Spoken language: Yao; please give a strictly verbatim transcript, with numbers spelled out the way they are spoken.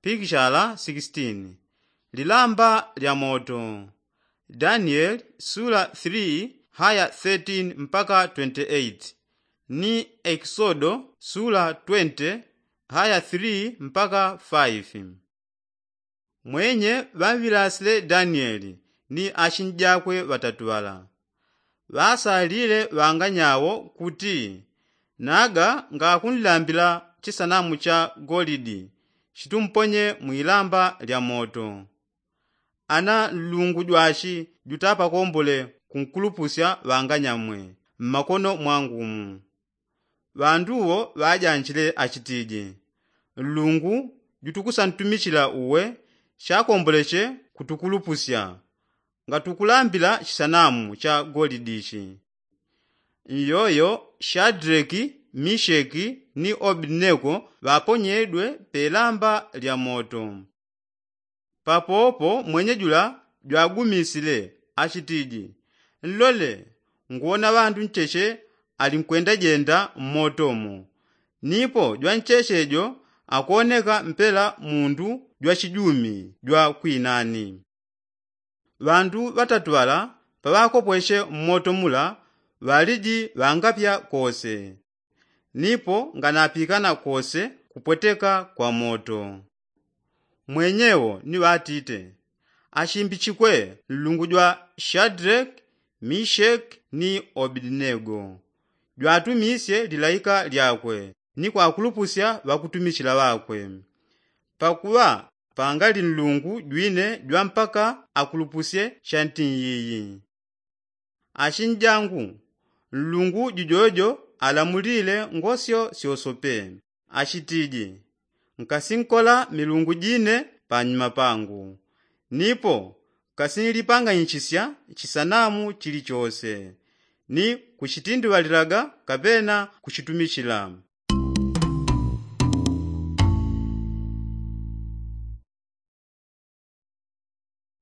Pikishala sixteen. Lilamba lya moto. Danieli sula three haya thirteen mpaka twenty-eight, ni ekisodo sula twenty haya three mpaka five. Mwenye ŵamŵilasile danieli ni achinjakwe ŵatatu ŵala. Ŵasalile ŵanganyawo kuti, naga ngakunlambila chisanamu cha golidi, chitumponye mwilamba lya moto. Ana nlungu jwashi jutapakombole kunkulupusya ŵanganyamwe mmakono mwangumu. Ŵandu wo ŵajanjile achitije, nlungu jutukusantumichila uwe, shakomboleche kutukulupusya ngatukulambila chisanamu cha golidi ichi. Nyoyo shadreki, misheki ni obedinego ŵaponyedwe pelamba lya moto. Papopo mwenye jula jwagumisile, achitiji, nlole, nguwona ŵandu ncheche alinkwendajenda mmoto mo, nipo jwancheche jo akoneka mpela mundu jwachijumi jwa kwinani. Ŵandu ŵatatu ŵala paŵakopweche mmoto mula, ŵaliji ŵangapya kose, nipo nganapikana kose kupweteka kwa moto. Mwenyewo ni ŵatite, achimbichikwe nlungu jwa shadreki, misheki ni obedinego, jwatumisye lilaika lyakwe ni kwakulupusya ŵakutumichila ŵakwe. Pakuŵa pangali nlungu jwine jwa mpaka akulupusye shantiiyiyi. Achinjangu, nlungu jujojo alamulile ngosyo syosope, achitiji, nkasinkola milungu jine panyuma pangu, nipo nkasinlipanganyichisya chisanamu chilichose ni kuchitindiŵalilaga kapena kuchitumichila.